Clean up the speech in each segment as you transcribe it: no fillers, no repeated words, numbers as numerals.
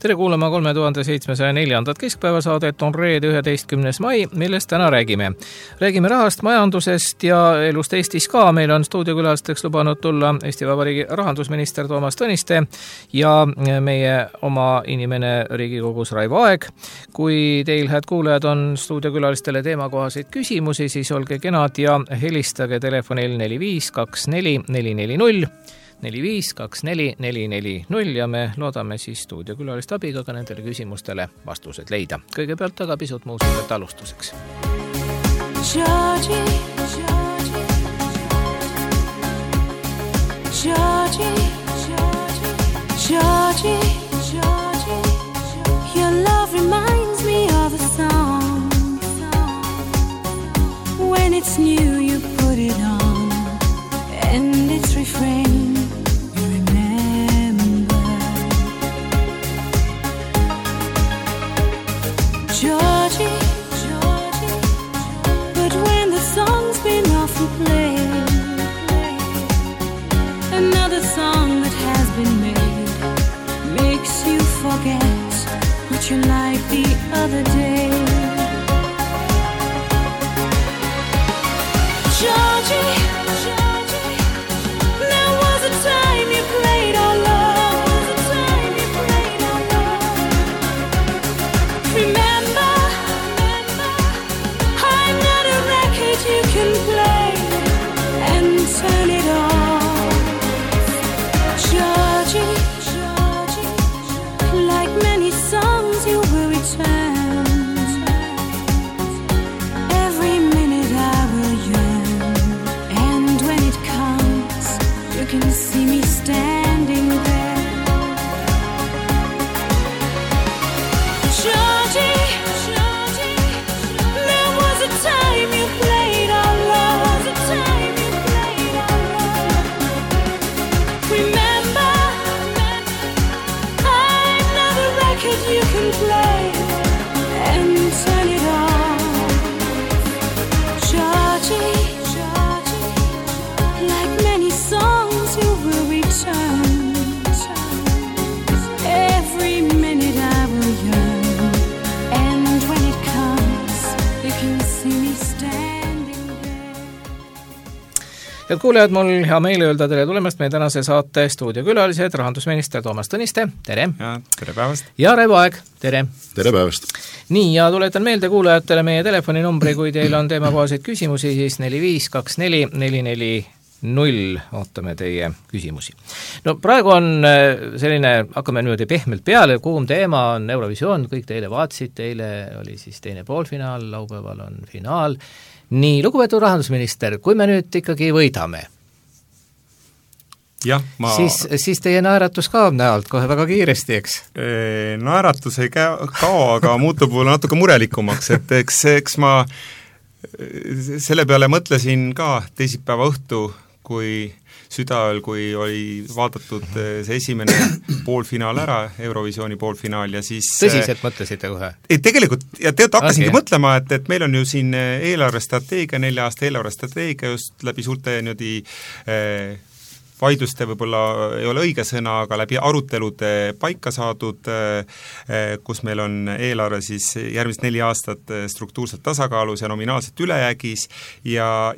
Tere kuulama 3704. keskpäevasaadet, on reede 11. mai, millest täna räägime. Räägime rahast, majandusest ja elust Eestis ka. Meil on stuudiokülalisteks lubanud tulla Eesti Vabariigi rahandusminister Toomas Tõniste ja meie oma inimene Riigikogus Raivo Aeg. Kui teil, head kuulajad, on stuudiokülalistele teemakohaseid küsimusi, siis olge kenad ja helistage telefonil 4524 440 4524 440 ja me loodame siis stuudiokülaliste abiga ka nendele küsimustele vastused leida. Kõigepealt aga pisut muusikat alustuseks. Georgie, Georgie, Georgie, Georgie, Georgie, your love reminds me of a song. When it's new you put it on and its refrain Georgie, Georgie, but when the song's been often played, another song that has been made makes you forget what you liked the other day. Georgie, Georgie, there was a time you played our love. Turn it on, Georgie, Georgie, like many songs you will return. Every minute I will yearn, and when it comes, you can see me standing there. Georgie, Georgie, there was a time you played our love. You can play and turn it on, Georgie, Georgie, like many songs you will return. Every minute I will yearn, and when it comes, you can see me standing there. Head kuulejad, mul hea meel öelda tere tulemast meie tänase saate stuudiokülalised, rahandusminister Toomas Tõniste, tere! Ja, tere päevast! Ja Raivo Aeg, tere! Tere päevast! Nii, ja tuletan meelde kuulajatele meie telefoninumbri, kui teil on teemakohaseid küsimusi, siis 4524 440, ootame teie küsimusi. No praegu on selline, hakkame niimoodi pehmelt peale, kuum teema on Eurovisioon, kõik te eile vaatasite, eile oli siis teine poolfinaal, laupäeval on finaal. Nii, lugupeetud rahandusminister, kui me nüüd ikkagi võidame, ja, siis teie naeratus kaob näolt kohe väga kiiresti, eks? Naeratus ei kao, aga muutub natuke murelikumaks, et eks ma selle peale mõtlesin ka teisipäeva õhtu, kui südaööl, kui oli vaadatud see esimene poolfinaal ära, Eurovisiooni poolfinaal ja siis tõsiselt mõtlesite kohe? Ei, tegelikult, ja hakkasingi mõtlema, et meil on ju siin eelarvestrateegia, 4 aasta eelarvestrateegia just läbi suurte niimoodi vaidluste võib-olla ei ole õige sõna, aga läbi arutelude paika saadud, kus meil on eelarve siis järgmist 4 aastat struktuurselt tasakaalus ja nominaalselt ülejäägis ja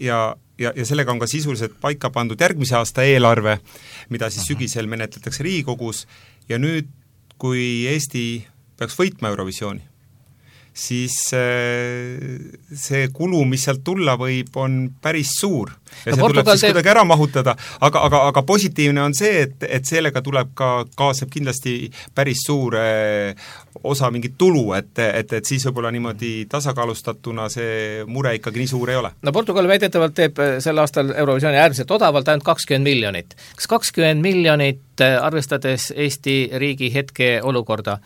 sellega on ka sisuliselt paika pandud järgmise aasta eelarve, mida siis sügisel menetletakse Riigikogus ja nüüd, kui Eesti peaks võitma Eurovisiooni, siis see kulu, mis sealt tulla võib, on päris suur. Ja see tuleb siis kuidagi ära mahutada, aga positiivne on see, et sellega tuleb ka kaasab kindlasti päris suur osa mingit tulu, et siis võib-olla niimoodi tasakaalustatuna see mure ikkagi nii suur ei ole. No Portugal väidetavalt teeb sel aastal Eurovisiooni äärmiselt odavalt ainult 20 miljonit. Kas 20 miljonit, arvestades Eesti riigi hetke olukorda,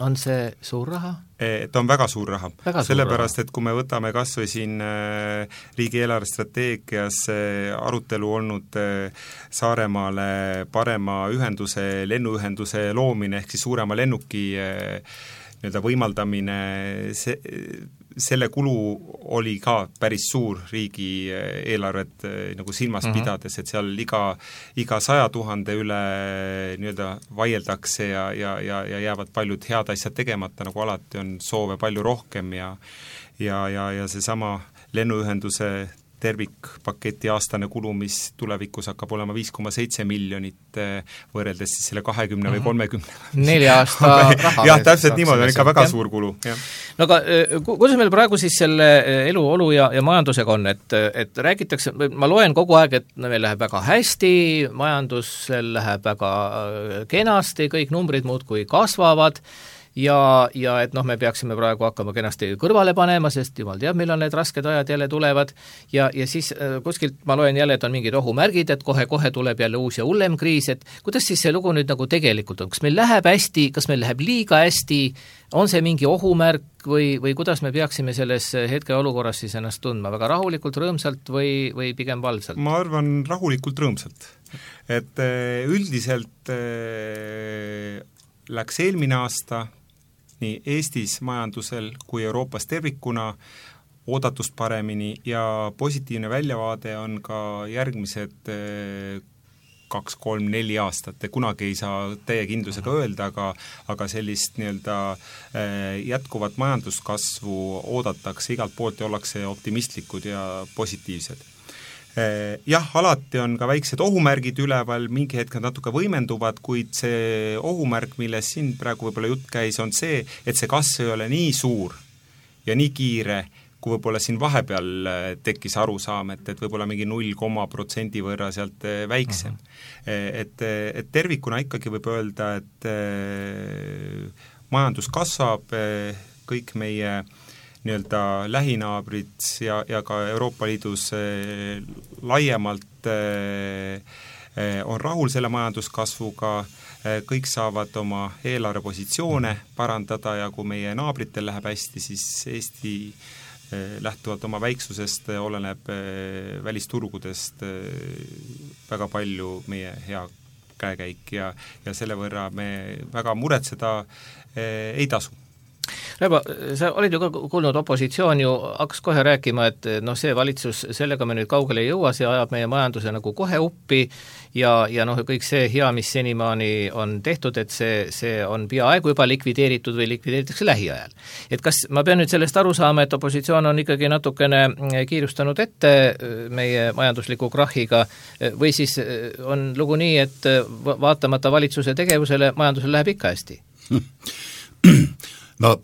on see suur raha? Ta on väga suur raha, sellepärast, et kui me võtame kas või siin riigi eelarvestrateegias arutelu olnud Saaremaale parema ühenduse, lennuühenduse loomine ehk siis suurema lennuki nii-öelda võimaldamine, selle kulu oli ka päris suur riigi eelarvet nagu silmas pidades, et seal iga 100 000 üle nii-öelda vaieldakse ja jäävad paljud head asjad tegemata, nagu alati on soove palju rohkem ja seesama lennuühenduse tervikpaketi aastane kulu, mis tulevikus hakkab olema 5,7 miljonit võrreldes siis selle 20 või 30. 4 aasta raha. Jah, täpselt niimoodi, on ikka väga suur kulu. Ja. No aga kuidas meil praegu siis selle eluolu ja majandusega on, et räägitakse, ma loen kogu aeg, et meil läheb väga hästi, majandusel läheb väga kenasti, kõik numbrid muudkui kasvavad, ja et me peaksime praegu hakkama kenasti kõrvale panema, sest jumal teab, millal need rasked ajad jälle tulevad ja siis kuskilt ma loen jälle, et on mingid ohumärgid, et kohe tuleb jälle uus ja hullem kriis, et kuidas siis see lugu nüüd nagu tegelikult on, kas meil läheb hästi, kas meil läheb liiga hästi, on see mingi ohumärk või kuidas me peaksime selles hetkeolukorras siis ennast tundma, väga rahulikult, rõõmsalt või pigem valvsalt? Ma arvan rahulikult, rõõmsalt. Et üldiselt läks eelmine aasta nii Eestis majandusel kui Euroopas tervikuna oodatust paremini ja positiivne väljavaade on ka järgmised 2, 3, 4 aastat, kunagi ei saa täie kindlusega öelda, aga sellist nii-öelda jätkuvat majanduskasvu oodatakse igalt poolt ja ollakse optimistlikud ja positiivsed. Jah, alati on ka väiksed ohumärgid üleval, mingi hetk nad natuke võimenduvad, kuid see ohumärk, milles siin praegu võib-olla jutt käis, on see, et see kasv ei ole nii suur ja nii kiire, kui võib-olla siin vahepeal tekkis arusaam, et võib-olla mingi 0,% võrra sealt väiksem. Et tervikuna ikkagi võib öelda, et majandus kasvab, kõik meie nii-öelda lähinaabrid ja ka Euroopa Liidus laiemalt on rahul selle majanduskasvuga, kõik saavad oma eelarvepositsioone parandada ja kui meie naabritel läheb hästi, siis Eesti lähtuvalt oma väiksusest oleneb välisturgudest väga palju meie hea käekäik ja selle võrra me väga muretseda ei tasu. Raivo, sa olid ju ka kuulnud, opositsioon ju hakkas kohe rääkima, et see valitsus, sellega me nüüd kaugele ei jõua, see ajab meie majanduse nagu kohe uppi ja kõik see hea, mis senimaani on tehtud, et see on peaaegu juba likvideeritud või likvideeritakse lähiajal. Et kas ma pean nüüd sellest aru saama, et opositsioon on ikkagi natukene kiirustanud ette meie majandusliku krahiga või siis on lugu nii, et vaatamata valitsuse tegevusele majandusel läheb ikka hästi? No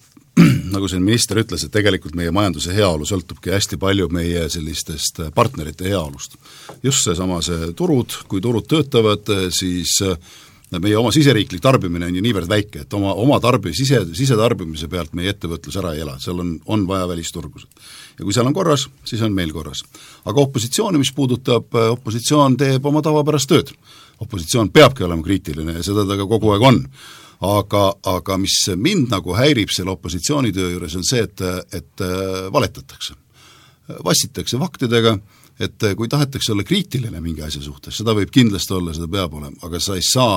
nagu siin minister ütles, et tegelikult meie majanduse heaolu sõltubki hästi palju meie sellistest partnerite heaolust. Just see turud, kui turud töötavad, siis meie oma siseriiklik tarbimine on ju niivõrd väike, et oma sisetarbimise pealt meie ettevõtlus ära ei ela, seal on vaja välisturgusid. Ja kui seal on korras, siis on meil korras. Aga opositsiooni, mis puudutab, opositsioon teeb oma tavapärast tööd. Opositsioon peabki olema kriitiline ja seda ta ka kogu aeg on. Aga mis mind nagu häirib selle opositsioonitöö juures on see, et valetatakse. Vassitakse faktidega, et kui tahetakse olla kriitiline mingi asja suhtes, seda võib kindlasti olla, seda peab olema, aga sa ei saa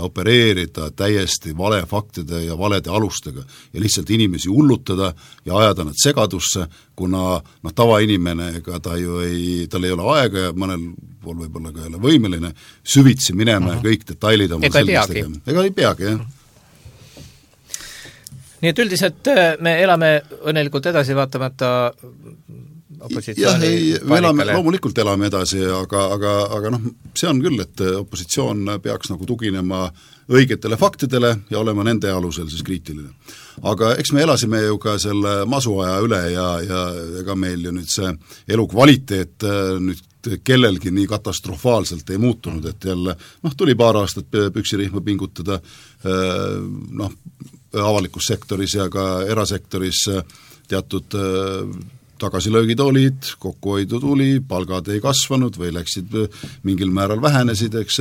opereerida täiesti vale faktide ja valede alustega ja lihtsalt inimesi hullutada ja ajada nad segadusse, kuna tavainimene, ega tal ei ole aega ja mõnel pool võib-olla ka ei ole võimeline süvitsi minema ja kõik detailid oma selgeks tegema. Ega ei peagi, jah. Nii et üldiselt me elame õnnelikult edasi vaatamata opositsiooni me loomulikult elame edasi, aga see on küll, et opositsioon peaks nagu tuginema õigetele faktidele ja olema nende alusel siis kriitiline. Aga eks me elasime ju ka selle masuaja üle ja ega meil ju nüüd see elukvaliteet nüüd kellelgi nii katastrofaalselt ei muutunud, et jälle tuli paar aastat püksirihma pingutada avalikus sektoris ja ka erasektoris teatud tagasilöögid olid, kokkuhoidu tuli, palgad ei kasvanud või läksid mingil määral vähenesid, eks,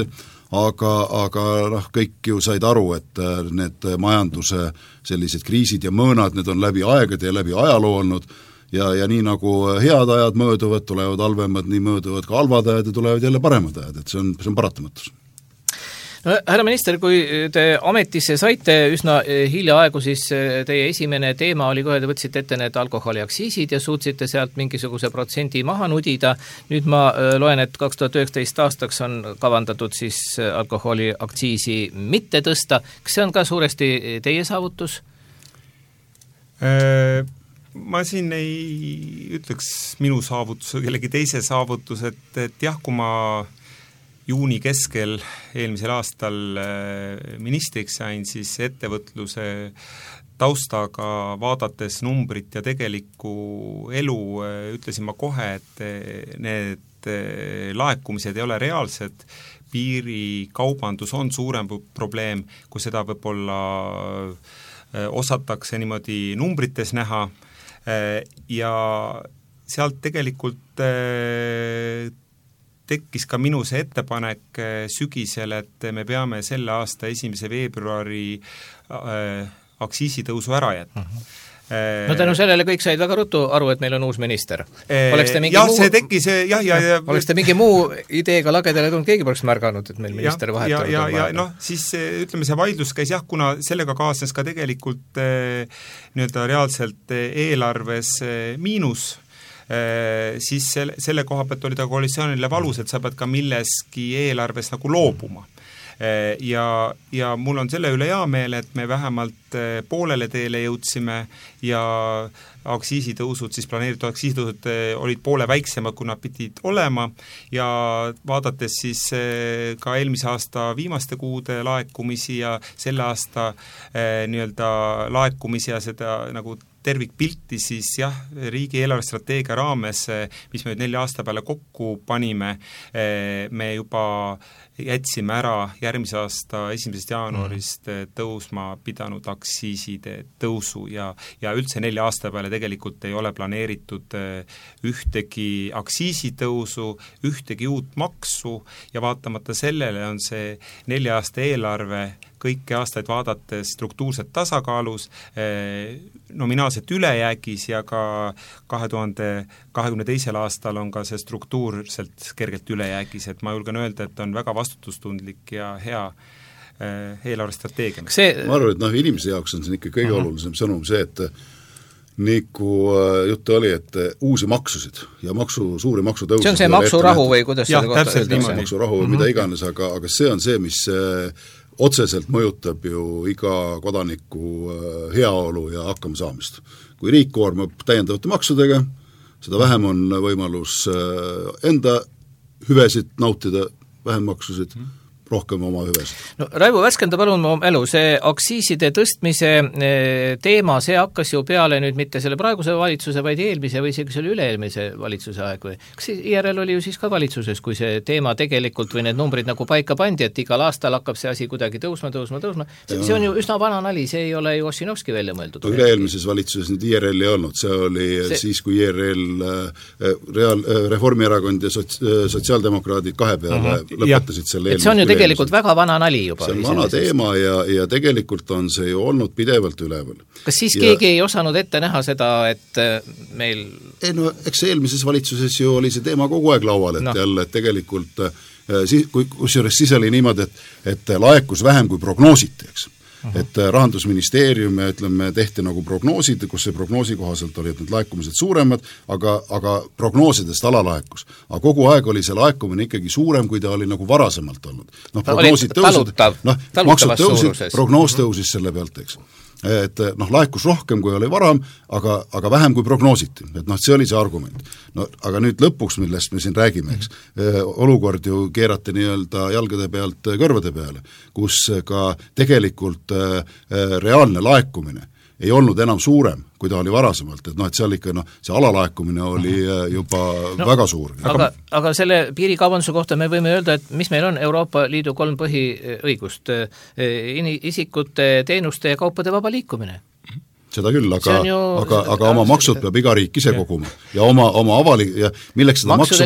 aga kõik ju said aru, et need majanduse sellised kriisid ja mõõnad, need on läbi aegade ja läbi ajaloo olnud ja nii nagu head ajad mööduvad, tulevad halvemad, nii mööduvad ka halvad ajad ja tulevad jälle paremad ajad, et see on paratamatus. No, härra minister, kui te ametisse saite üsna hiljaaegu, siis teie esimene teema oli kohe, te võtsite ette need alkoholiaktsiisid ja suutsite sealt mingisuguse protsendi maha nudida. Nüüd ma loen, et 2019 aastaks on kavandatud siis alkoholiaktsiisi mitte tõsta. Kas see on ka suuresti teie saavutus? Ma siin ei ütleks minu saavutus, kellegi teise saavutus, et jah, kui ma juuni keskel eelmisel aastal ministriks sain, siis ettevõtluse taustaga vaadates numbrit ja tegelikku elu ütlesin ma kohe, et need laekumised ei ole reaalsed, piirikaubandus on suurem probleem, kui seda võib-olla osatakse niimoodi numbrites näha ja sealt tegelikult tekkis ka minu see ettepanek sügisel, et me peame selle aasta 1. veebruari aktsiisitõusu ära jätma. No tänu sellele kõik said väga ruttu aru, et meil on uus minister. See tekkis, oleks te mingi muu ideega lagedale tulnud, keegi poleks märganud, et meil minister vahetanud on vahepeal. Siis ütleme, see vaidlus käis kuna sellega kaasnes ka tegelikult nii-öelda reaalselt eelarves miinus, siis selle koha pealt oli ta koalitsioonile valus, et sa pead ka milleski eelarves nagu loobuma. Ja mul on selle üle hea meel, et me vähemalt poolele teele jõudsime ja aktsiisitõusud, siis planeeritud aktsiisitõusud olid poole väiksemad, kui nad pidid olema ja vaadates siis ka eelmise aasta viimaste kuude laekumisi ja selle aasta nii-öelda laekumisi ja seda nagu tervikpilti, siis jah, riigi eelarvestrateegia raames, mis me nüüd 4 aasta peale kokku panime, me juba jätsime ära järgmise aasta 1. jaanuarist tõusma pidanud aktsiiside tõusu ja üldse 4 aasta peale tegelikult ei ole planeeritud ühtegi aktsiisitõusu, ühtegi uut maksu ja vaatamata sellele on see 4 aasta eelarve kõiki aastaid vaadates struktuurselt tasakaalus, nominaalselt ülejäägis ja ka 2022. aastal on ka see struktuurselt kergelt ülejäägis, et ma julgen öelda, et on väga vastutustundlik ja hea eelarvestrateegia. Ma arvan, et inimese jaoks on siin ikka kõige olulisem sõnum see, et nagu juttu oli, et uusi maksusid ja suuri maksutõusid. See on see maksurahu või kuidas seda kohta öeldakse? Maksurahu või mida iganes, aga see on see, mis otseselt mõjutab ju iga kodaniku heaolu ja hakkamasaamist. Kui riik koormab täiendavate maksudega, seda vähem on võimalus enda hüvesid nautida, vähem maksusid, rohkem oma hüvesid. No, Raivo, värskenda palun mu elu, see aktsiiside tõstmise teema, see hakkas ju peale nüüd mitte selle praeguse valitsuse, vaid eelmise või isegi selle üle-eelmise valitsuse aeg või? Kas IRL oli ju siis ka valitsuses, kui see teema tegelikult või need numbrid nagu paika pandi, et igal aastal hakkab see asi kuidagi tõusma. See on ju üsna vana nali, see ei ole ju Ossinovski välja mõeldud. Üle-eelmises valitsuses nüüd IRL ei olnud, see oli siis, kui IRL, Reformierakond ja sotsiaaldemokraadid kahe peale lõpetasid selle eelmise tegelikult väga vana nali juba. See on vana teema ja tegelikult on see ju olnud pidevalt üleval. Kas siis keegi ei osanud ette näha seda, et meil... Eks eelmises valitsuses ju oli see teema kogu aeg laual, et jälle et tegelikult kusjuures siis oli niimoodi, et laekus vähem kui prognoositi, eks. Et Rahandusministeerium ja ütleme, tehti nagu prognoosid, kus see prognoosi kohaselt oli, et need laekumised suuremad, aga prognoosidest alalaekus. Aga kogu aeg oli see laekumine ikkagi suurem, kui ta oli nagu varasemalt olnud. Prognoosid tõusid, maksud tõusid, prognoos tõusis selle pealt, eks. Et laekus rohkem, kui oli varam, aga vähem kui prognoositi. Et see oli see argument. Aga nüüd lõpuks, millest me siin räägime, eks, olukord ju keerati nii-öelda jalgade pealt kõrvade peale, kus ka tegelikult reaalne laekumine ei olnud enam suurem, kui ta oli varasemalt, et seal ikka see alalaekumine oli juba väga suur. Aga selle piirikaubanduse kohta me võime öelda, et mis meil on Euroopa Liidu 3 põhiõigust, isikute, teenuste ja kaupade vaba liikumine. Seda küll, aga oma maksud peab iga riik ise koguma ja oma avalik ja milleks seda maksu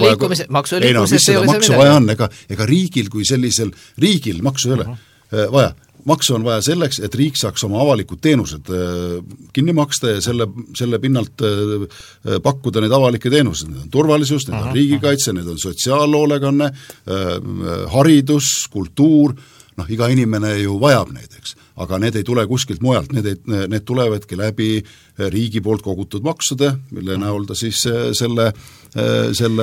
vaja on, ega riigil kui sellisel riigil maksu ei ole vaja. Maksu on vaja selleks, et riik saaks oma avalikud teenused kinni maksta ja selle pinnalt pakkuda neid avalikke teenused. Need on turvalisus, need on riigikaitse, need on sotsiaalhoolekanne, haridus, kultuur, iga inimene ju vajab neid, eks, aga need ei tule kuskilt mujalt, need tulevadki läbi riigi poolt kogutud maksude, mille näol ta siis selle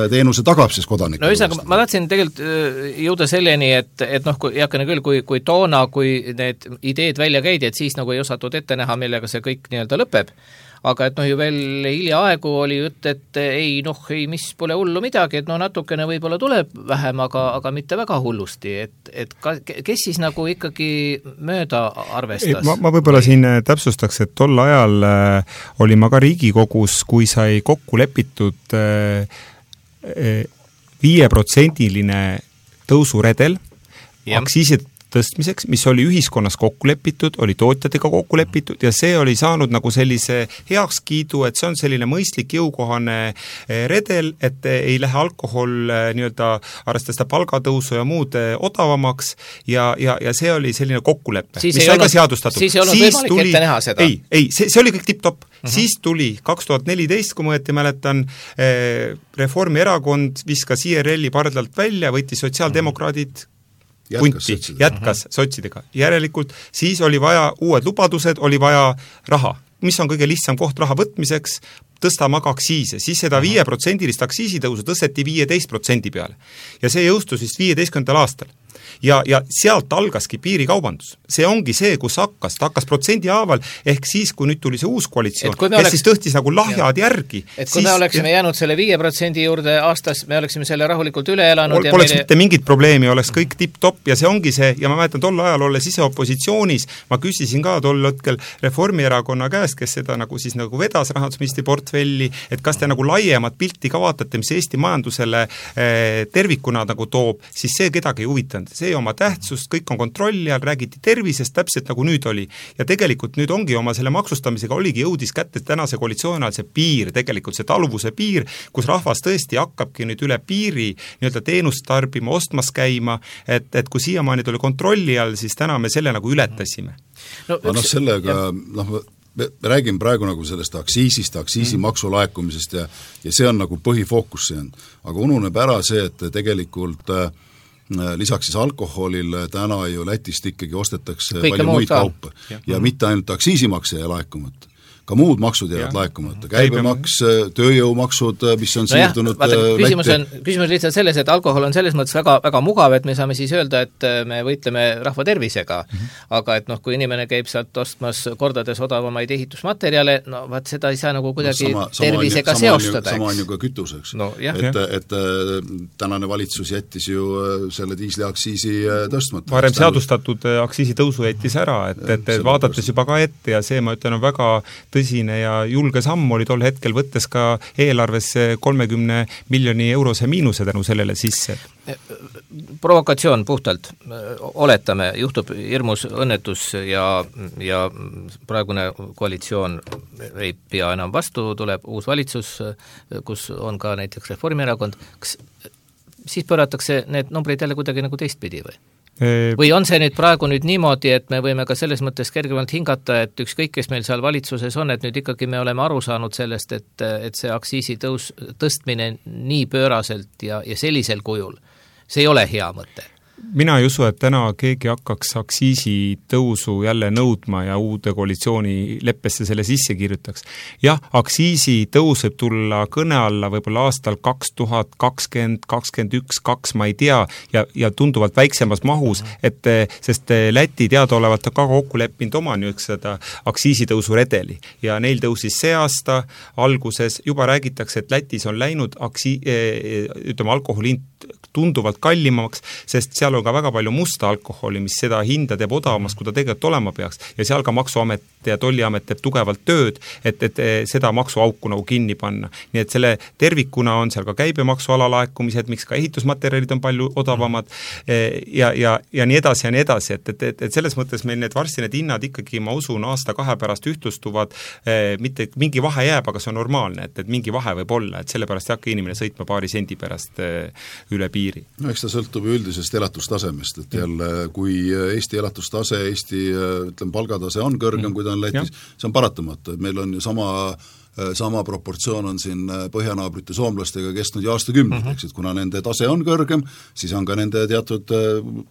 teenuse tagab siis kodanikule. No ühesõnaga, ma tahtsin tegelikult jõuda selleni, et heakene küll, kui toona, kui need ideed välja käidi, et siis nagu ei osatud ette näha, millega see kõik nii-öelda lõpeb, aga et ju veel hiljaaegu oli jutt, et mis pole hullu midagi, et natukene võib-olla tuleb vähem, aga mitte väga hullusti, et kes siis nagu ikkagi mööda arvestas? Ma võib-olla siin täpsustaks, et tol ajal oli ma ka Riigikogus, kui sai kokku lepitud 5%-line tõusuredel aktsiisid tõstmiseks, mis oli ühiskonnas kokku lepitud, oli tootjatega kokku lepitud ja see oli saanud nagu sellise heakskiidu, et see on selline mõistlik jõukohane redel, et ei lähe alkohol nii-öelda arvestades palgatõusu ja muud odavamaks ja see oli selline kokkulepe, mis sai ka seadustatud. Siis ei olnud võimalik ette näha seda? Ei, see oli kõik tipp-topp. Siis tuli 2014, kui ma mäletan, Reformierakond viskas IRL-i pardalt välja, võttis sotsiaaldemokraadid jätkas sotsidega. Järelikult siis oli vaja uued lubadused, oli vaja raha. Mis on kõige lihtsam koht raha võtmiseks? Tõstama ka aktsiise. Siis seda 5%-list aktsiisitõusu tõsteti 15% peale. Ja see jõustus vist 15. aastal. Ja sealt algaski piirikaubandus. See ongi see, kus ta hakkas protsendi haaval, ehk siis, kui nüüd tuli see uus koalitsioon, kes siis tõhtis nagu lahjad järgi. Et kui me oleksime jäänud selle 5% juurde aastas, me oleksime selle rahulikult üle elanud. Poleks mitte mingit probleemi, oleks kõik tipp-topp ja see ongi see, ja ma mäletan tol ajal olles ise opositsioonis, ma küsisin ka tol hetkel Reformierakonna käest, kes seda nagu siis nagu vedas rahandusministri portfelli, et kas te nagu laiemat pilti ka vaatate, mis Eesti majandusele tervikuna nagu toob, siis see kedagi ei huvitanud. See oma tähtsust, kõik on kontrolli all, räägiti tervisest täpselt nagu nüüd oli. Ja tegelikult nüüd ongi oma selle maksustamisega oligi jõudis kätte tänase koalitsiooni ajal see piir, tegelikult see taluvuse piir, kus rahvas tõesti hakkabki nüüd üle piiri nii-öelda teenust tarbima, ostmas käima, et kui siiamaani tuli kontrolli all, siis täna me selle nagu ületasime. Sellega, me räägime praegu nagu sellest aktsiisimaksu laekumisest ja see on nagu põhifookus see on. Aga ununeb ära see, et tegelikult lisaks siis alkoholile täna ju Lätist ikkagi ostetakse kõike palju muid kaupa ja mitte ainult aktsiisimakse ei laekumata. Ka muud maksud jäävad laekumata, käibemaks, tööjõumaksud, mis on siirdunud küsimus lihtsalt selles, et alkohol on selles mõttes väga, väga mugav, et me saame siis öelda, et me võitleme rahva tervisega, aga et kui inimene käib sealt ostmas kordades odavamaid ehitusmaterjale, seda ei saa nagu kuidagi tervisega seostada. Sama on ju ka kütuseks. Et tänane valitsus jättis ju selle diisliaktsiisi tõstmata. Varem seadustatud aktsiisitõusu jättis ära, et vaadates juba ka ette ja see, ma ütlen, on väga tõsine ja julge samm oli tol hetkel võttes ka eelarvesse 30 miljoni eurose miinuse tänu sellele sisse. Provokatsioon puhtalt, oletame, juhtub hirmus õnnetus ja praegune koalitsioon ei pea enam vastu, tuleb uus valitsus, kus on ka näiteks Reformierakond, kas siis pööratakse need numbrid jälle kuidagi nagu teistpidi või? Või on see nüüd praegu nüüd niimoodi, et me võime ka selles mõttes kergemalt hingata, et ükskõik, kes meil seal valitsuses on, et nüüd ikkagi me oleme aru saanud sellest, et see aktsiisi tõstmine nii pööraselt ja sellisel kujul, see ei ole hea mõte. Mina ei usu, et täna keegi hakkaks aktsiisitõusu jälle nõudma ja uude koalitsiooni leppesse selle sisse kirjutaks. Jah, aktsiisitõus võib tulla kõne alla võib-olla aastal 2020, 2021, 2, ma ei tea, ja tunduvalt väiksemas mahus, sest Läti teadaolevalt on ka kokku leppinud oma seda aktsiisitõusu redeli ja neil tõusis see aasta alguses, juba räägitakse, et Lätis on läinud alkoholihind tunduvalt kallimaks, sest seal on ka väga palju musta alkoholi, mis seda hinda teeb odavamaks, kui ta tegelikult olema peaks. Ja seal ka Maksuamet ja Tolliamet teeb tugevalt tööd, et seda maksuauku nagu kinni panna. Nii et selle tervikuna on seal ka käibemaksu alalaekumised, miks ka ehitusmaterjalid on palju odavamad ja nii edasi ja nii edasi. Et selles mõttes meil need varsti need hinnad ikkagi, ma usun, aasta-2 pärast ühtlustuvad, mitte mingi vahe jääb, aga see on normaalne, et mingi vahe võib olla, et selle pärast ei hakka inimene sõitma paari sendi pärast üle piiri. No eks ta sõltub üldisest elatustasemest, et jälle kui Eesti elatustase, Eesti palgatase on kõrgem, kui ta on Lätis, see on paratamatu, et meil on ju sama sama proportsioon on siin põhjanaabrite soomlastega kestnud ja aastakümneid, eks, et kuna nende tase on kõrgem, siis on ka nende teatud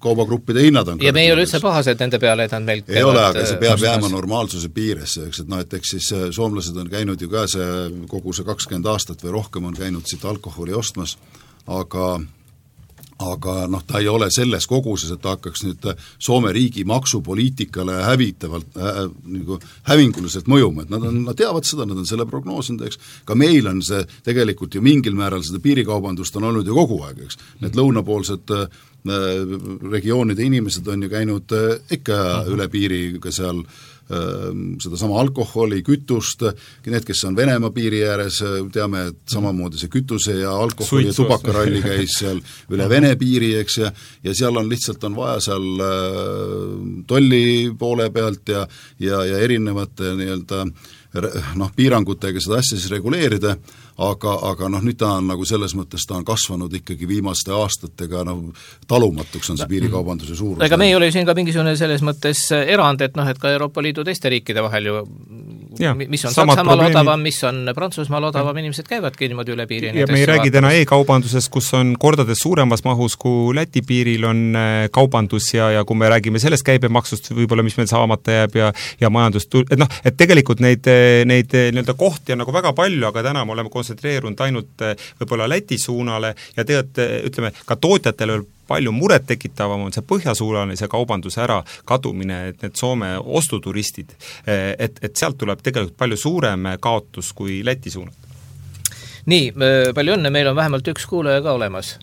kaubagruppide hinnad on kõrgem. Ja me ei ole üldse pahased nende peale, et nad meilt ei ole, aga see peab jääma normaalsuse piiresse, eks, et eks siis soomlased on käinud ju ka kogu see 20 aastat või rohkem on käinud siit alkoholi ostmas, aga ta ei ole selles koguses, et ta hakkaks nüüd Soome riigi maksupoliitikale hävinguliselt mõjuma, et nad teavad seda, nad on selle prognoosinud, eks, ka meil on see tegelikult ju mingil määral seda piirikaubandust on olnud ju kogu aeg, eks, need lõunapoolsed regioonide inimesed on ju käinud ikka üle piiri ka seal sedasama alkoholi, kütust, need, kes on Venemaa piiri ääres, teame, et samamoodi see kütuse ja alkoholi ja tubakaralli käis seal üle Vene piiri, eks, ja seal on lihtsalt on vaja seal tolli poole pealt ja erinevate nii-öelda piirangutega seda asja siis reguleerida, aga nüüd ta on nagu selles mõttes, ta on kasvanud ikkagi viimaste aastatega talumatuks on see piirikaubanduse suurus. Ega me ei ole siin ka mingisugune selles mõttes erand, et et ka Euroopa Liidu teiste riikide vahel ju mis on Saksamaal odavam, mis on Prantsusmaal odavam, inimesed käivadki niimoodi üle piiri. Ja me ei räägi täna e-kaubandusest, kus on kordades suuremas mahus, kui Läti piiril on kaubandus ja kui me räägime sellest käibemaksust võib-olla, mis meil saamata jääb ja majandust, et tegelikult neid nii-öelda kohti on nagu väga palju, aga täna me oleme kontsentreerunud ainult võib-olla Läti suunale ja tegelikult ütleme, ka tootjatele palju muret tekitavam on see põhjasuunalise kaubanduse ära kadumine, et need Soome ostuturistid, et sealt tuleb tegelikult palju suurem kaotus kui Läti suunal. Nii, palju õnne, meil on vähemalt üks kuulaja ka olemas.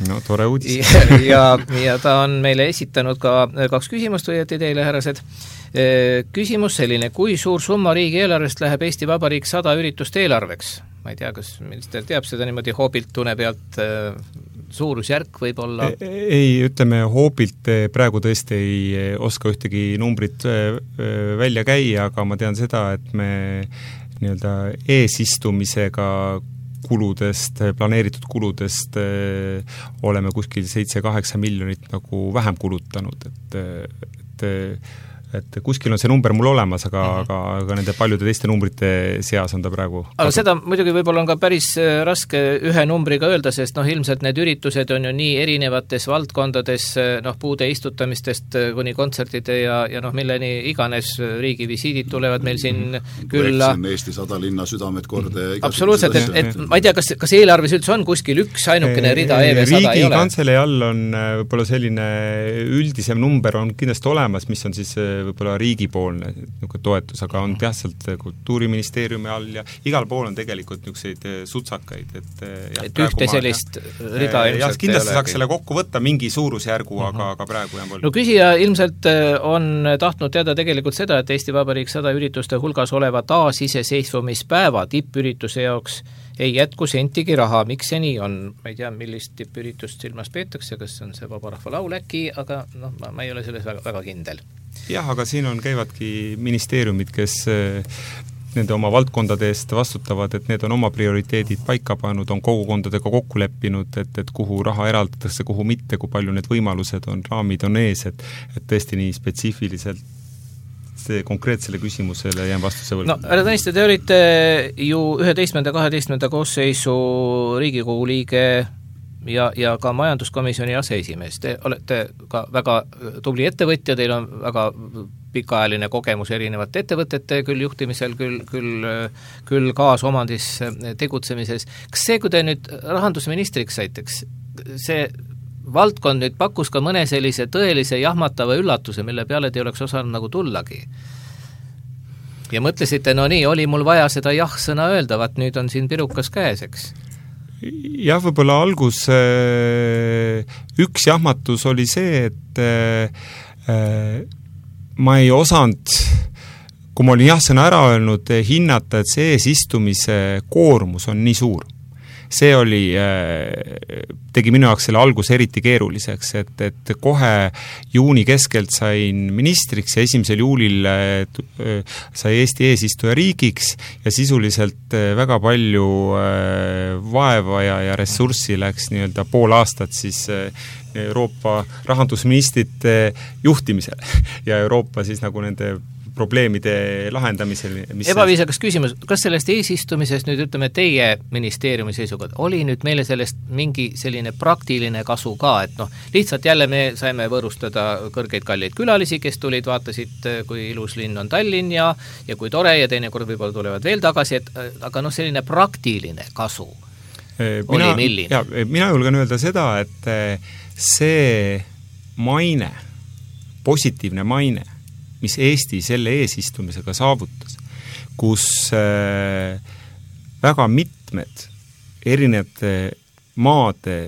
No, tore uudis. ja ta on meile esitanud ka 2 küsimust õieti teile, härrased. Küsimus selline, kui suur summa riigi eelarvest läheb Eesti Vabariik 100 üritust eelarveks? Ma ei tea, kas minister teab seda niimoodi hoobilt tunne pealt suurusjärk võib olla? Ei, ütleme hoobilt praegu tõesti ei oska ühtegi numbrit välja käia, aga ma tean seda, et me nii-öelda eesistumisega kuludest, planeeritud kuludest oleme kuskil 7-8 miljonit nagu vähem kulutanud, et kuskil on see number mul olemas, aga nende paljude teiste numbrite seas on ta praegu. Aga seda muidugi võib-olla on ka päris raske ühe numbriga öelda, sest ilmselt need üritused on ju nii erinevates valdkondades, puude istutamistest kuni kontsertide ja milleni iganes riigi visiidid tulevad meil siin külla. Eesti 100 linna südamed korda. Absoluutselt, et ma ei tea, kas eelarves üldse on kuskil üks ainukene rida EV100 ei ole? Riigi kantselei all on võib-olla selline üldisem number on kindlasti olemas, mis on siis võib-olla riigipoolne toetus, aga on teaselt Kultuuriministeeriumi all ja igal pool on tegelikult niisuguseid sutsakaid. Et ühte sellist rida ilmselt kindlasti saaks selle kokku võtta mingi suurusjärgu, aga praegu jääb olnud. No küsija ilmselt on tahtnud teada tegelikult seda, et Eesti Vabariik 100 ürituste hulgas oleva taasiseseisvumispäeva tippürituse jaoks ei jätku sentigi raha. Miks see nii on? Ma ei tea, millist tippüritust silmas peetakse, kas on see Vabarahva laul äkki, aga ma ei ole selles väga kindel. Jah, aga siin käivadki ministeeriumid, kes nende oma valdkondade eest vastutavad, et need on oma prioriteedid paika pannud, on kogukondadega kokku leppinud, et kuhu raha eraldatakse, kuhu mitte, kui palju need võimalused on, raamid on ees, et tõesti nii spetsiifiliselt see konkreetsele küsimusele jään vastuse võlgu. Härra Tõniste, te olite ju 11-12 koosseisu Riigikogu liige ja ka majanduskomisjoni aseesimees. Te olete ka väga tubli ettevõtja, teil on väga pikaajaline kogemus erinevate ettevõtete küll juhtimisel, küll kaasomandis tegutsemises. Kas see, kui te nüüd rahandusministriks saiteks, see valdkond nüüd pakkus ka mõne sellise tõelise jahmatava üllatuse, mille peale te oleks osanud nagu tullagi? Ja mõtlesite, nii, oli mul vaja seda jah-sõna öelda, vaat nüüd on siin pirukas käes, eks? Jah, võib-olla algus üks jahmatus oli see, et ma ei osanud, kui ma olin jah-sõna ära öelnud, hinnata, et see eesistumise koormus on nii suur. See tegi minu jaoks selle alguse eriti keeruliseks, et kohe juuni keskelt sain ministriks ja 1. juulil sai Eesti eesistuja riigiks ja sisuliselt väga palju vaeva ja ressurssi läks nii-öelda pool aastat siis Euroopa rahandusministrite juhtimisel ja Euroopa siis nagu nende probleemide lahendamisel. Ebaviisakas küsimus, kas sellest eesistumisest nüüd ütleme teie ministeeriumi seisukohad, oli nüüd meile sellest mingi selline praktiline kasu ka, et lihtsalt jälle me saime võõrustada kõrgeid kalleid külalisi, kes tulid, vaatasid, kui ilus linn on Tallinn ja kui tore ja teinekord võib-olla tulevad veel tagasi, aga selline praktiline kasu oli milline? Mina julgen öelda seda, et see maine, positiivne maine, mis Eesti selle eesistumisega saavutas, kus väga mitmed erinevate maade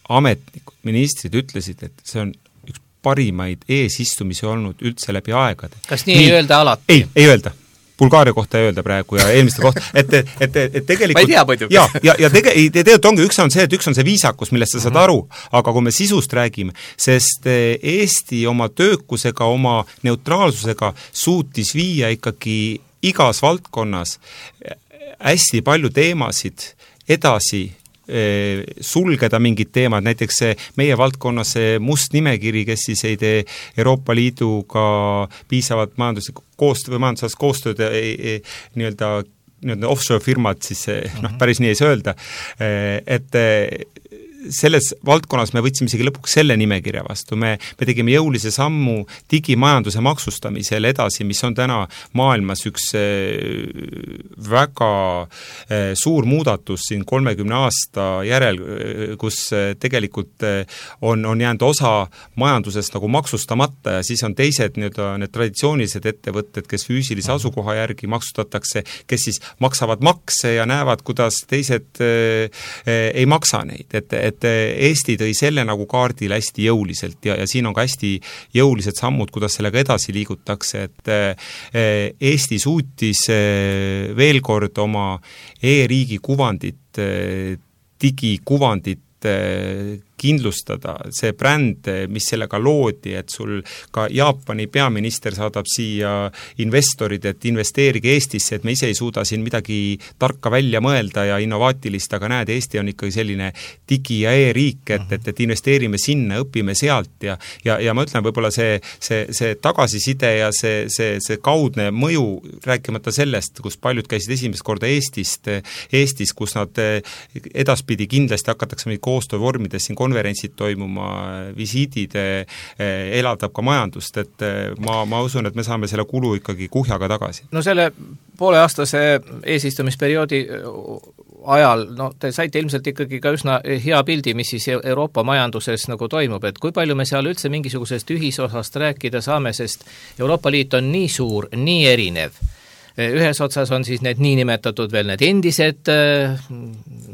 ametnikud, ministrid ütlesid, et see on üks parimaid eesistumisi olnud üldse läbi aegade. Kas nii ei öelda alati? Ei öelda. Bulgaaria kohta ei öelda praegu ja eelmiste kohta, et tegelikult ma ei tea muidugi. Ja tegelikult ongi, üks on see viisakus, millest sa saad aru, aga kui me sisust räägime, sest Eesti oma töökusega, oma neutraalsusega suutis viia ikkagi igas valdkonnas hästi palju teemasid edasi, sulgeda mingid teemad, näiteks meie valdkonnas see must nimekiri, kes siis ei tee Euroopa Liiduga piisavat majanduslikku koostööd või majandusalast koostööd nii-öelda offshore firmad, siis päris nii ei saa öelda, et selles valdkonnas me võtsime isegi lõpuks selle nimekirja vastu, me tegime jõulise sammu digimajanduse maksustamisel edasi, mis on täna maailmas üks väga suur muudatus siin 30 aasta järel, kus tegelikult on jäänud osa majandusest nagu maksustamata ja siis on teised need traditsioonilised ettevõtted, kes füüsilise asukoha järgi maksustatakse, kes siis maksavad makse ja näevad, kuidas teised ei maksa neid, et Eesti tõi selle nagu kaardile hästi jõuliselt ja siin on ka hästi jõulised sammud, kuidas sellega edasi liigutakse, et Eesti suutis veel kord oma e-riigi kuvandit, digikuvandit kindlustada, see bränd, mis sellega loodi, et sul ka Jaapani peaminister saadab siia investorid, et investeerige Eestisse, et me ise ei suuda siin midagi tarka välja mõelda ja innovaatilist, aga näed, Eesti on ikkagi selline digi- ja e-riik, et investeerime sinna, õpime sealt ja ma ütlen, võib-olla see tagasiside ja see kaudne mõju, rääkimata sellest, kus paljud käisid esimest korda Eestis, kus nad edaspidi kindlasti hakatakse meid koostöövormides siin konverentsid toimuma, visiidid, elavdab ka majandust, et ma usun, et me saame selle kulu ikkagi kuhjaga tagasi. No selle pooleaastase eesistumisperioodi ajal, te saite ilmselt ikkagi ka üsna hea pildi, mis siis Euroopa majanduses nagu toimub, et kui palju me seal üldse mingisugusest ühisosast rääkida saame, sest Euroopa Liit on nii suur, nii erinev. Ühes otsas on siis need niinimetatud veel need endised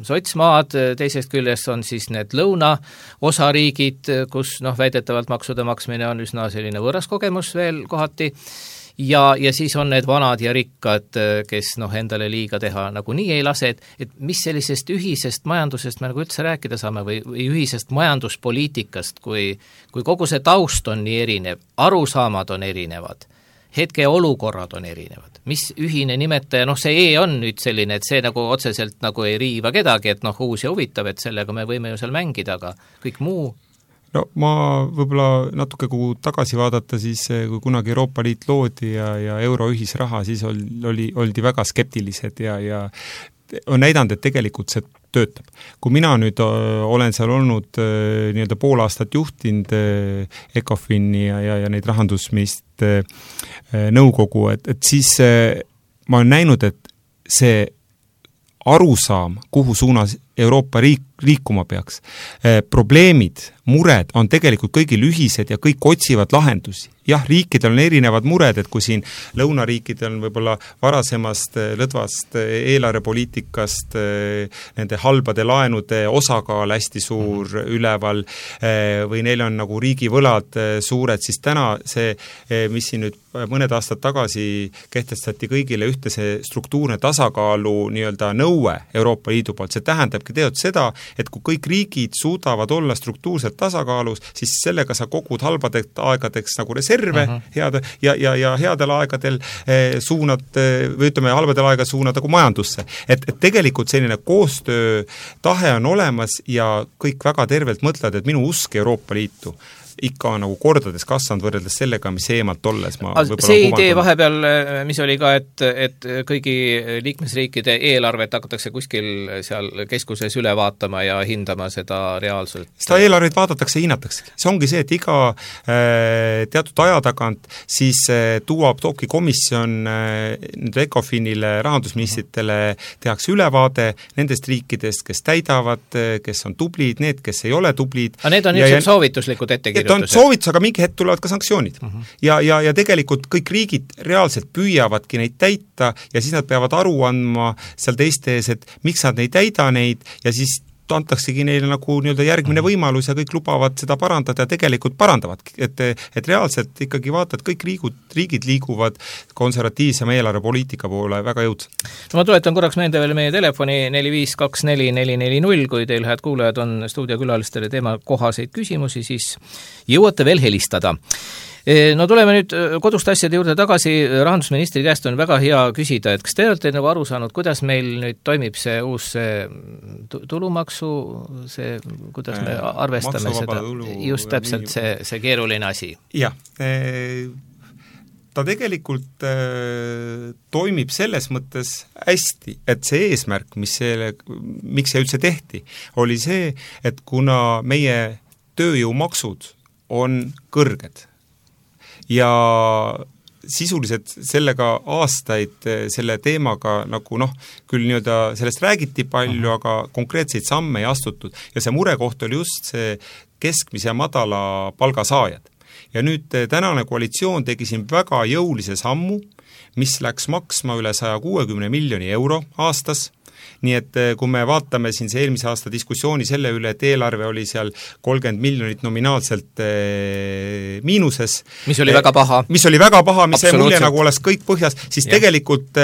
sotsmaad, teisest küljest on siis need lõunaosariigid, kus väidetavalt maksude maksmine on üsna selline võõras kogemus veel kohati, ja siis on need vanad ja rikkad, kes endale liiga teha nagu nii ei lase, et mis sellisest ühisest majandusest me nagu üldse rääkida saame või ühisest majanduspoliitikast, kui kogu see taust on nii erinev, arusaamad on erinevad, hetke olukorrad on erinevad. Mis ühine nimetaja, see on nüüd selline, et see nagu otseselt nagu ei riiva kedagi, et uus ja huvitav, et sellega me võime ju seal mängida, aga kõik muu. No ma võib-olla natuke kui tagasi vaadata, siis kui kunagi Euroopa Liit loodi ja euro ühisraha, siis oldi väga skeptilised ja on näidanud, et tegelikult see töötab. Kui mina nüüd olen seal olnud nii-öelda pool aastat juhtinud ECOFIN-i ja neid rahandusministrite nõukogu, et siis ma olen näinud, et see arusaam, kuhu suunas Euroopa liikuma peaks, probleemid, mured on tegelikult kõigil ühised ja kõik otsivad lahendusi. Jah, riikidel on erinevad mured, et kui siin lõunariikidel on võib-olla varasemast lõdvast eelarvepoliitikast nende halbade laenude osakaal hästi suur üleval või neil on nagu riigivõlad suured, siis täna see, mis siin nüüd mõned aastad tagasi kehtestati kõigile ühtse struktuurne tasakaalu nii-öelda nõue Euroopa Liidu poolt, see tähendabki teod seda, et kui kõik riigid suudavad olla struktuurselt tasakaalus, siis sellega sa kogud halbadeks aegadeks nagu reserve head, ja headel aegadel suunad, või ütleme, halbadel aegadel suunad nagu majandusse. Et tegelikult selline koostöö tahe on olemas ja kõik väga tervelt mõtlevad, et minu usk Euroopa Liitu ikka on nagu kordades kasvanud võrreldes sellega, mis eemalt olles see idee vahepeal, mis oli ka, et kõigi liikmesriikide eelarvet hakatakse kuskil seal keskuses üle vaatama ja hindama seda reaalselt. Seda eelarvet vaadatakse ja hinnatakse. See ongi see, et iga teatud aja tagant siis toobki komisjon ECOFINile, rahandusministritele tehakse ülevaade nendest riikidest, kes täidavad, kes on tublid, need, kes ei ole tublid. Aga need on niisugused soovituslikud ettekirjutused. On soovitus, aga mingi hetk tulevad ka sanktsioonid. Ja tegelikult kõik riigid reaalselt püüavadki neid täita ja siis nad peavad aru andma seal teiste ees, et miks nad ei täida neid ja siis antaksegi neile nagu nii-öelda järgmine võimalus ja kõik lubavad seda parandada ja tegelikult parandavadki. Et reaalselt ikkagi vaatad, kõik riigid liiguvad konservatiivsema eelarvepoliitika poole väga jõudsalt. No ma tuletan korraks meelde veel meie telefoni 4524440, kui teil, head kuulajad, on stuudiokülalistele teema kohaseid küsimusi, siis jõuate veel helistada. No tuleme nüüd koduste asjade juurde tagasi, rahandusministri käest on väga hea küsida, et kas te olete nagu aru saanud, kuidas meil nüüd toimib see uus tulumaksu, kuidas me arvestame seda, just täpselt see keeruline asi? Jah, ta tegelikult toimib selles mõttes hästi, et see eesmärk, miks see üldse tehti, oli see, et kuna meie tööjõumaksud on kõrged, ja sisuliselt sellega aastaid selle teemaga nagu küll nii-öelda sellest räägiti palju, aga konkreetseid samme ei astutud ja see murekoht oli just see keskmise ja madala palgasaajad. Ja nüüd tänane koalitsioon tegi siin väga jõulise sammu, mis läks maksma üle 160 miljoni euro aastas. Nii et kui me vaatame siin see eelmise aasta diskussiooni selle üle, et eelarve oli seal 30 miljonit nominaalselt miinuses. Mis oli väga paha. Mis see mulje nagu oleks kõik põhjas, siis tegelikult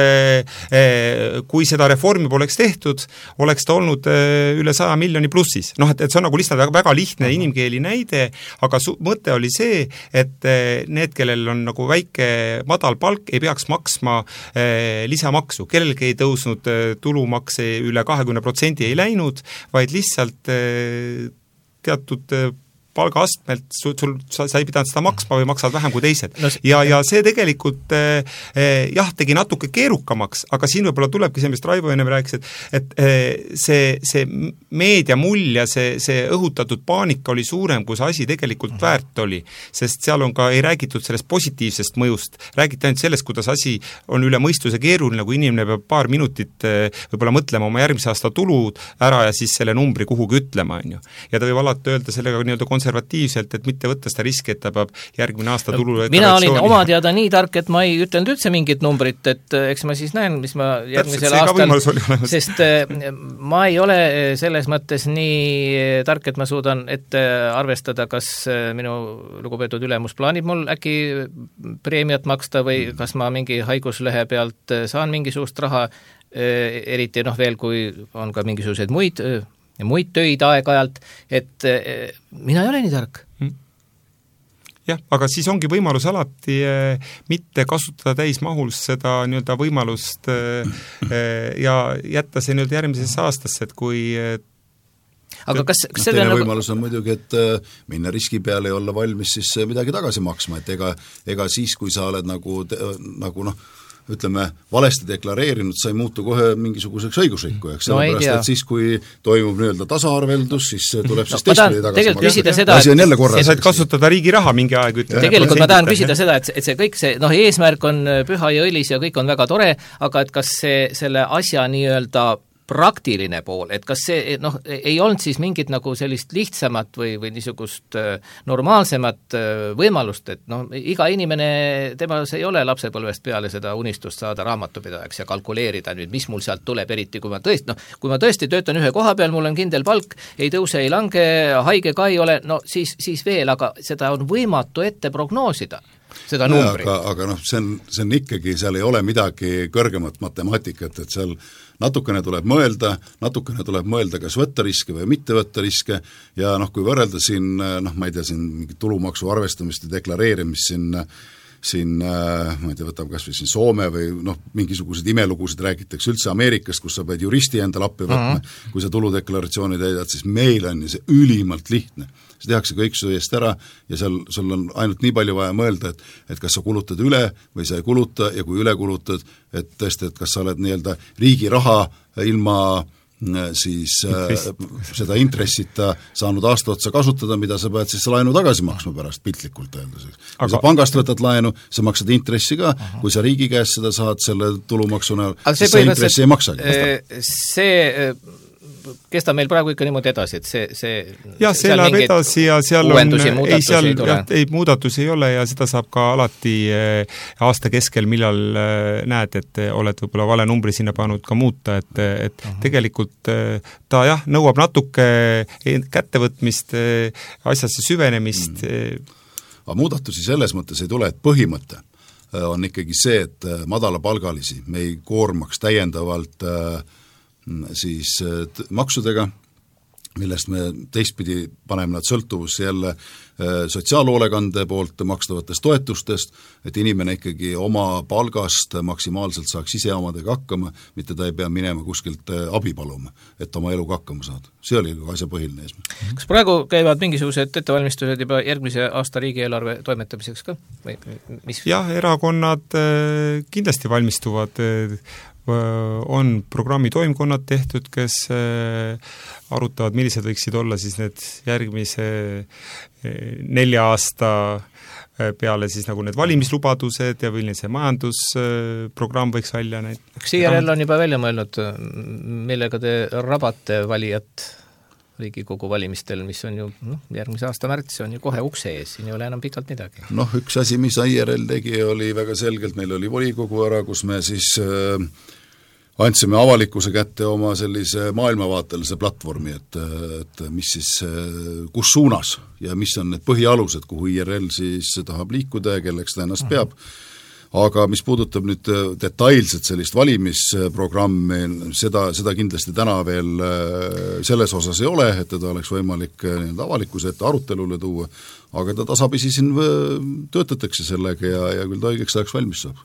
kui seda reformi poleks tehtud, oleks ta olnud üle 100 miljoni plussis. Et see on nagu lihtsalt väga lihtne inimkeeli näide, aga mõte oli see, et need, kellel on nagu väike madal palk, ei peaks maksma lisamaksu. Kellelgi ei tõusnud tulumaks üle 20% ei läinud, vaid lihtsalt teatud palgaastmelt sa ei pidanud seda maksma või maksad vähem kui teised. Ja see tegelikult tegi natuke keerukamaks, aga siin võib-olla tulebki see, mis Raivo enne rääkis, et see meedia mull ja see õhutatud paanika oli suurem, kui see asi tegelikult väärt oli, sest seal on ka ei räägitud sellest positiivsest mõjust, räägiti ainult sellest, kuidas asi on üle mõistuse keeruline, kui inimene peab paar minutit võib-olla mõtlema oma järgmise aasta tulud ära ja siis selle numbri kuhugi ütlema, on ju. Ja ta võib alati öelda sellega nii-öelda konservatiivselt, et mitte võtta seda riski, et ta peab järgmine aasta tulu mina olin oma teada nii tark, et ma ei ütelnud üldse mingit numbrit, et eks ma siis näen, mis ma järgmisel aastal, sest ma ei ole selles mõttes nii tark, et ma suudan ette arvestada, kas minu lugupeetud ülemus plaanib mul äkki preemiat maksta või kas ma mingi haiguslehe pealt saan mingisugust raha, eriti veel, kui on ka mingisuguseid muid töid aeg-ajalt, et mina ei ole nii tark. Jah, aga siis ongi võimalus alati mitte kasutada täismahus seda nii-öelda võimalust ja jätta see nüüd järgmisesse aastasse, et kui aga kas teine võimalus on muidugi, et minna riski peale ja olla valmis siis midagi tagasi maksma, et ega siis, kui sa oled nagu ütleme, valesti deklareerinud, sa ei muutu kohe mingisuguseks õigusrikkujaks, sellepärast, et siis, kui toimub nii-öelda tasaarveldus, siis tuleb siis teistpidi tagasi maksta. Asi on jälle korras. Saad kasutada riigi raha mingi aeg, ütleme. Tegelikult ma tahan küsida seda, et see kõik see, eesmärk on püha ja õilis ja kõik on väga tore, aga et kas selle asja nii-öelda praktiline pool, et kas see ei olnud siis mingit nagu sellist lihtsamat või niisugust normaalsemat võimalust, et iga inimene, temas ei ole lapsepõlvest peale seda unistust saada raamatupidajaks ja kalkuleerida nüüd, mis mul sealt tuleb, eriti kui ma tõesti töötan ühe koha peal, mul on kindel palk, ei tõuse, ei lange, haige ka ei ole, siis veel, aga seda on võimatu ette prognoosida. Seda numbri. Aga see on ikkagi, seal ei ole midagi kõrgemat matemaatikat, et seal natukene tuleb mõelda, kas võtta riske või mitte võtta riske ja kui võrrelda siin, ma ei tea, siin tulumaksu arvestamist ja deklareerimist siin siin, ma ei tea, võtame kas või siin Soome või mingisugused imelugusid räägitakse üldse Ameerikast, kus sa pead juristi endale appi võtma, kui sa tuludeklaratsiooni täidad, siis meil on see ülimalt lihtne. See tehakse kõik su eest ära ja sul on ainult nii palju vaja mõelda, et kas sa kulutad üle või sa ei kuluta ja kui üle kulutad, et tõesti, et kas sa oled nii-öelda riigi raha ilma siis seda intressita saanud aasta otsa kasutada, mida sa pead siis laenu tagasi maksma pärast piltlikult öeldes. Kui sa pangast võtad laenu, sa maksad intressi ka, kui sa riigi käest seda saad selle tulumaksuna, siis sa intressi ei maksagi. See kestab meil praegu ikka niimoodi edasi, et see läheb edasi ja seal muudatusi ei ole ja seda saab ka alati aasta keskel, millal näed, et oled võib-olla vale numbri sinna pannud ka muuta, et tegelikult ta nõuab natuke kättevõtmist, asjasse süvenemist. Aga muudatusi selles mõttes ei tule, et põhimõte on ikkagi see, et madalapalgalisi me ei koormaks täiendavalt siis maksudega, millest me teistpidi paneme nad sõltuvusse jälle sotsiaalhoolekande poolt makstavatest toetustest, et inimene ikkagi oma palgast maksimaalselt saaks ise omadega hakkama, mitte ta ei pea minema kuskilt abi paluma, et oma eluga hakkama saada. See oli asja põhiline eesmärk. Kas praegu käivad mingisugused ettevalmistused juba järgmise aasta riigieelarve toimetamiseks ka? Jah, erakonnad kindlasti valmistuvad, on programmi toimkonnad tehtud, kes arutavad, millised võiksid olla siis need järgmise 4 aasta peale siis nagu need valimislubadused ja milline see majandusprogramm võiks välja näid. Kas IRL on juba välja mõelnud, millega te rabate valijat Riigikogu valimistel, mis on ju järgmise aasta märts, on ju kohe ukse ees, siin ei ole enam pikalt midagi. Üks asi, mis IRL tegi, oli väga selgelt, meil oli volikogu ära, kus me siis andsime avalikkuse kätte oma sellise maailmavaatelise platvormi, et mis siis, kus suunas ja mis on need põhialused, kuhu IRL siis tahab liikuda ja kelleks ta ennast peab. Aga mis puudutab nüüd detailselt sellist valimisprogrammi, seda kindlasti täna veel selles osas ei ole, et teda oleks võimalik avalikkuse ette arutelule tuua, aga ta tasapisi siin töötatakse sellega ja küll ta õigeks ajaks valmis saab.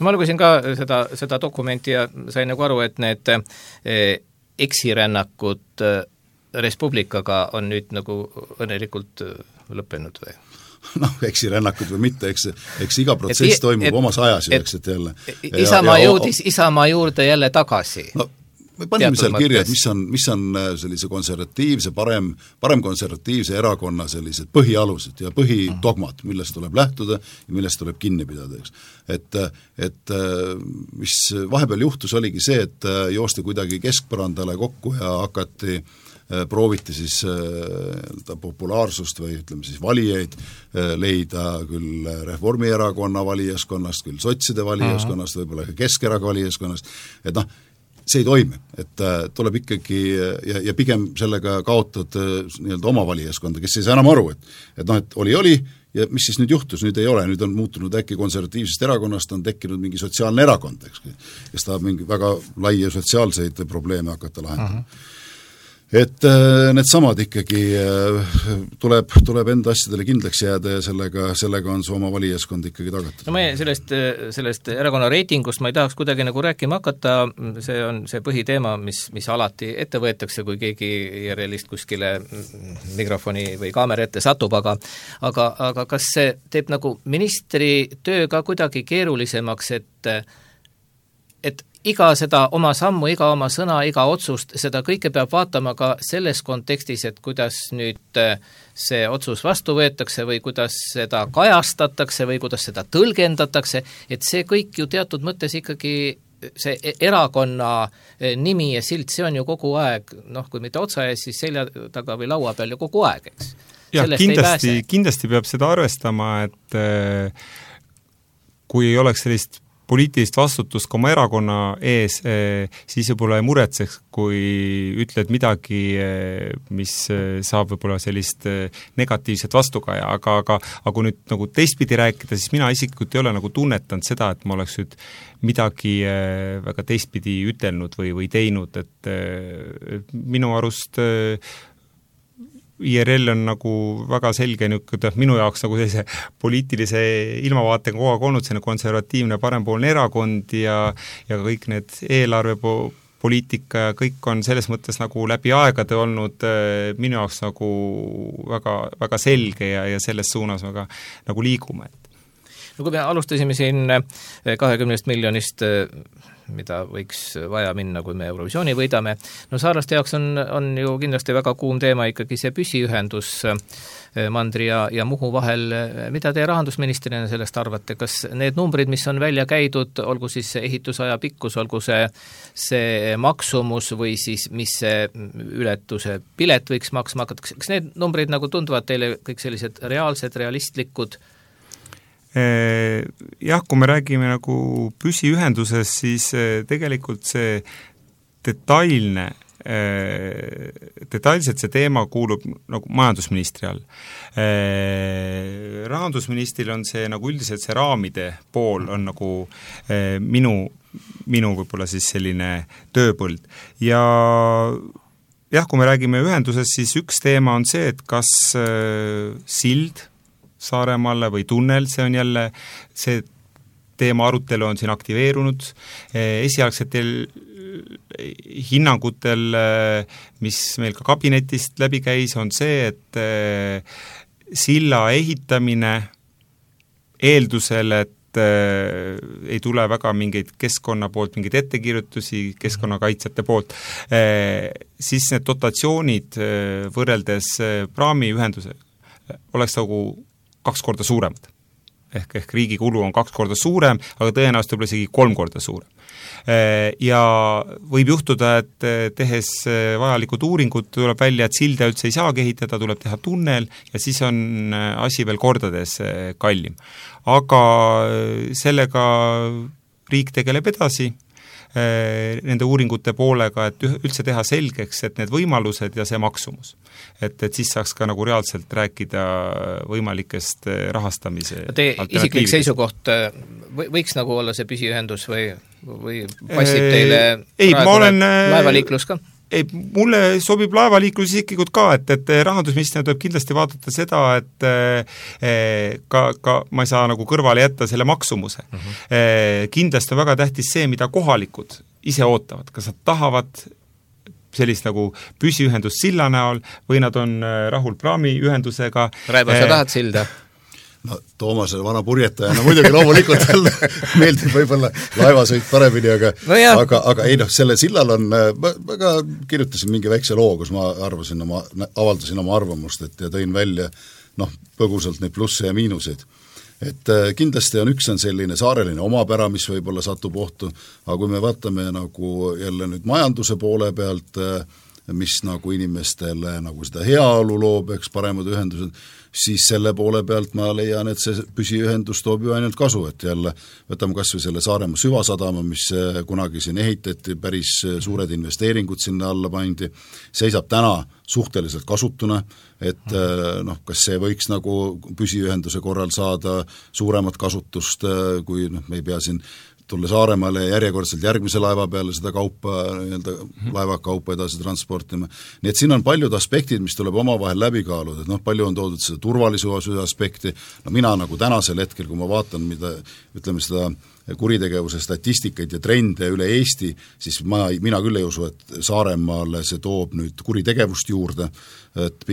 Ma lugesin ka seda dokumenti ja sain nagu aru, et need eksirännakud Respublikaga on nüüd nagu õnnelikult lõppenud või? Eksirännakud või mitte, eks iga protsess toimub omas ajas, eks, et jälle. Isamaa jõudis Isamaa juurde jälle tagasi. Me panime seal kirja, et mis on sellise konservatiivse, parem konservatiivse erakonna sellised põhialused ja põhidogmad, millest tuleb lähtuda ja millest tuleb kinni pidada, eks. Et mis vahepeal juhtus, oligi see, et joosti kuidagi keskpõrandale kokku ja prooviti siis populaarsust või ütleme siis valijaid leida küll Reformierakonna valijaskonnast, küll sotside valijaskonnast, võib-olla ka Keskerakonna valijaskonnast, et see ei toimi, et tuleb ikkagi ja pigem sellega kaotad nii-öelda oma valijaskonda, kes ei saa enam aru, et oli ja mis siis nüüd juhtus, nüüd ei ole, nüüd on muutunud äkki konservatiivsest erakonnast, on tekkinud mingi sotsiaalne erakond, kes tahab mingi väga laia sotsiaalseid probleeme hakata lahendama. Et need samad ikkagi tuleb enda asjadele kindlaks jääda ja sellega on su oma valijaskond ikkagi tagatud. No meie sellest erakonna reitingust ma ei tahaks kuidagi nagu rääkima hakata, see on see põhiteema, mis alati ette võetakse, kui keegi IRL-ist kuskile mikrofoni või kaamera ette satub, aga kas see teeb nagu ministri töö ka kuidagi keerulisemaks, et iga seda oma sammu, iga oma sõna, iga otsust, seda kõike peab vaatama ka selles kontekstis, et kuidas nüüd see otsus vastu võetakse või kuidas seda kajastatakse või kuidas seda tõlgendatakse, et see kõik ju teatud mõttes ikkagi see erakonna nimi ja silt, see on ju kogu aeg, kui mitte otsa ees, siis selja taga või laua peal ju kogu aeg, eks. Ja kindlasti peab seda arvestama, et kui ei oleks sellist poliitilist vastutust ka oma erakonna ees, siis võib-olla ei muretseks, kui ütled midagi, mis saab võib-olla sellist negatiivset vastukaja, aga kui nüüd nagu teistpidi rääkida, siis mina isiklikult ei ole nagu tunnetanud seda, et ma oleks nüüd midagi väga teistpidi ütelnud või teinud, et minu arust IRL on nagu väga selge niisugune minu jaoks nagu sellise poliitilise ilmavaatega kogu aeg olnud selline konservatiivne parempoolne erakond ja kõik need eelarvepoliitika ja kõik on selles mõttes nagu läbi aegade olnud minu jaoks nagu väga, väga selge ja selles suunas väga nagu liigume. No kui me alustasime siin 20 miljonist, mida võiks vaja minna, kui me Eurovisiooni võidame, no saarlaste jaoks on ju kindlasti väga kuum teema ikkagi see püsiühendus Mandri ja Muhu vahel. Mida te rahandusministrina sellest arvate? Kas need numbrid, mis on välja käidud, olgu siis ehitusaja pikkus, olgu see maksumus või siis mis see ületuse pilet võiks maksma hakata, kas need numbrid nagu tunduvad teile kõik sellised reaalsed, realistlikud? Jah, kui me räägime nagu püsiühendusest, siis tegelikult see detailselt see teema kuulub nagu majandusministri all. Rahandusministril on see nagu üldiselt see raamide pool on nagu minu võib-olla siis selline tööpõld. Ja jah, kui me räägime ühendusest, siis üks teema on see, et kas sild Saaremaale või tunnel, see on jälle, see teema arutelu on siin aktiveerunud, esialgsetel hinnangutel, mis meil ka kabinetist läbi käis, on see, et silla ehitamine eeldusel, et ei tule väga mingeid keskkonna poolt, mingeid ettekirjutusi keskkonnakaitsjate poolt, siis need dotatsioonid võrreldes praamiühendusega oleks nagu 2 korda suuremad. Ehk riigi kulu on 2 korda suurem, aga tõenäoliselt võib isegi 3 korda suurem. Ja võib juhtuda, et tehes vajalikud uuringud tuleb välja, et silda üldse ei saa ehitada, tuleb teha tunnel ja siis on asi veel kordades kallim. Aga sellega riik tegeleb edasi nende uuringute poolega, et üldse teha selgeks, et need võimalused ja see maksumus. Et siis saaks ka nagu reaalselt rääkida võimalikest rahastamise isiklik seisukoht võiks nagu olla see püsiühendus või passib teile laevaliiklus ka? Ei, mulle sobib laevaliiklus isiklikult ka, et rahandusministrina tuleb kindlasti vaadata seda, et ka ma ei saa nagu kõrvale jätta selle maksumuse. Kindlasti on väga tähtis see, mida kohalikud ise ootavad, kas nad tahavad sellist nagu püsiühendust silla näol või nad on rahul praamiühendusega. Raivo, sa tahad silda? No Toomase vana purjetajana muidugi loomulikult meeldib võib-olla laevasõit paremini, aga ei selle sillal on, ma ka kirjutasin mingi väikse loo, kus ma avaldasin oma arvamust, ja tõin välja põgusalt neid plusse ja miinuseid. Et kindlasti on üks selline saareline omapära, mis võib-olla satub ohtu, aga kui me vaatame nagu jälle nüüd majanduse poole pealt, mis nagu inimestele nagu seda heaolu loob, eks paremad ühendused, siis selle poole pealt ma leian, et see püsiühendus toob ju ainult kasu, et jälle võtame kas või selle Saaremaa süvasadama, mis kunagi siin ehitati, päris suured investeeringud sinna alla pandi, seisab täna suhteliselt kasutuna, et kas see võiks nagu püsiühenduse korral saada suuremat kasutust, kui me ei pea siin tulla Saaremaale järjekordselt järgmise laeva peale seda kaupa, laevakaupa edasi transportima. Nii et siin on paljud aspektid, mis tuleb omavahel läbi kaaluda, et palju on toodud seda turvalisuse aspekti, mina nagu tänasel hetkel, kui ma vaatan, mida, ütleme seda kuritegevuse statistikaid ja trende üle Eesti, siis mina küll ei usu, et Saaremaale see toob nüüd kuritegevust juurde.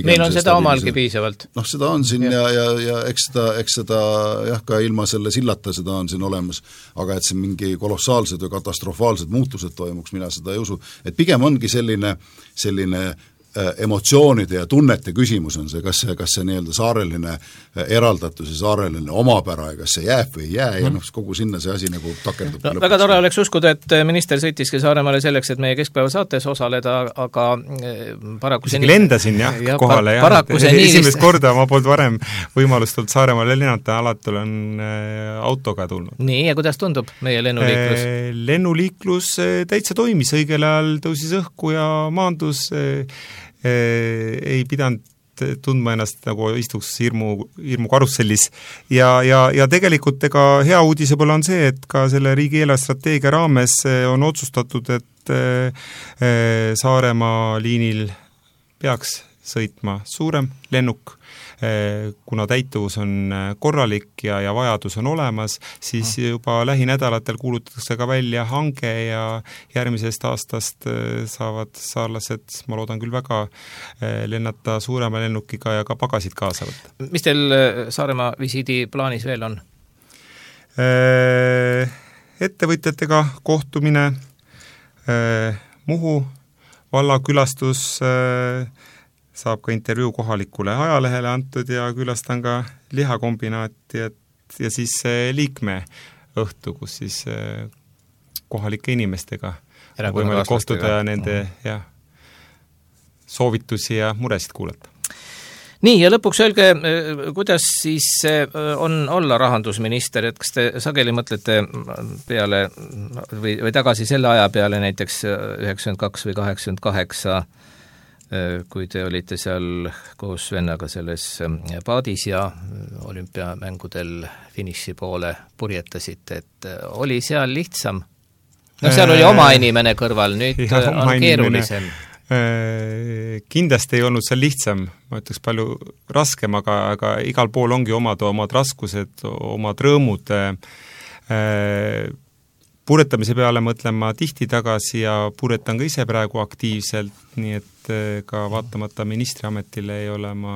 Meil on seda omalgi piisavalt. Seda on siin ja eks seda jah, ka ilma selle sillata seda on siin olemas, aga et see mingi kolossaalsed või katastrofaalsed muutused toimuks, mina seda ei usu. Et pigem ongi selline emotsioonide ja tunnete küsimus on see, kas see nii-öelda saareline eraldatus ja saareline omapära ja kas see jääb või ei jää ja kogu sinna see asi nagu takerdub. Väga tore oleks uskuda, et minister sõitiski Saaremaale selleks, et meie keskpäeva saates osaleda, aga paraku see lendasin kohale esimest korda ma polnud varem võimalust olnud Saaremaale lennata, alati olen autoga tulnud. Nii, ja kuidas tundub meie lennuliiklus? Lennuliiklus täitsa toimis, õigel ajal tõusis õhku ja maandus ei pidanud tundma ennast nagu istuks hirmu karussellis ja tegelikult ega hea uudise pole on see, et ka selle riigi eelarvestrateegia raames on otsustatud, et Saaremaa liinil peaks sõitma suurem lennuk, kuna täituvus on korralik ja vajadus on olemas, siis juba lähinädalatel kuulutatakse ka välja hange ja järgmisest aastast saavad saarlased, ma loodan küll väga, lennata suurema lennukiga ja ka pagasid kaasa võtta. Mis teil Saaremaa visiidi plaanis veel on? Ettevõtjatega kohtumine, Muhu vallakülastus, saab ka intervjuu kohalikule ajalehele antud ja külastan ka lihakombinaati ja siis liikme õhtu, kus siis kohalike inimestega võimalik kohtuda ja nende soovitusi ja muresid kuulata. Nii, ja lõpuks öelge, kuidas siis on olla rahandusminister, et kas te sageli mõtlete peale või tagasi selle aja peale näiteks 92 või 88, kui te olite seal koos vennaga selles paadis ja olümpiamängudel finiši poole purjetasite, et oli seal lihtsam? No seal oli oma inimene kõrval, nüüd on keerulisem. Kindlasti ei olnud seal lihtsam, ma ütleks palju raskem, aga igal pool ongi omad raskused, omad rõõmud. Puretamise peale mõtlen ma tihti tagasi ja puretan ka ise praegu aktiivselt, nii et ka vaatamata ministriametile ei ole ma